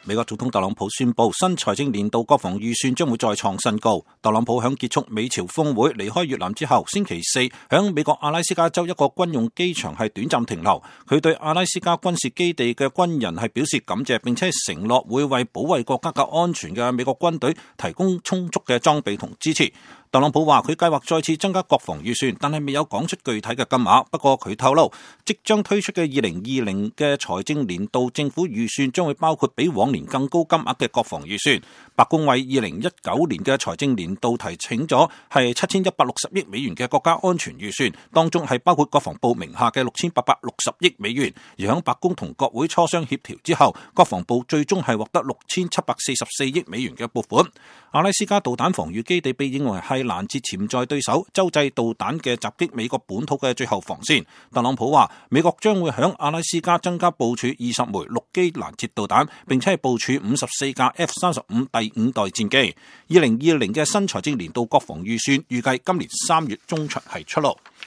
美國總統特朗普宣布，新財政年度國防預算將會再創新高。特朗普響結束美朝峰會離開越南之後，星期四響美國阿拉斯加州一個軍用機場係短暫停留。佢對阿拉斯加軍事基地嘅軍人係表示感謝，並且承諾會為保衛國家嘅安全嘅美國軍隊提供充足嘅裝備同支持。特朗普話佢計劃再次增加國防預算，但係未有講出具體嘅金額。不過佢透露，即將推出嘅2020嘅財政年度政府預算將會包括比往年更高金額嘅國防預算。白宮為2019年嘅財政年度提請咗係7160億美元嘅國家安全預算，當中係包括國防部名下嘅6860億美元。而響白宮同國會磋商協調之後，國防部最終係獲得6744億美元嘅撥款。阿拉斯加導彈防禦基地被認為係攔截潛在對手洲際導彈嘅襲擊美國本土嘅最後防線。特朗普話，美國將會響阿拉斯加增加部署20枚陸基攔截導彈，並且係部署54架 F-35第5代戰機。2020嘅新財政年度國防預算預計今年3月中旬係出爐。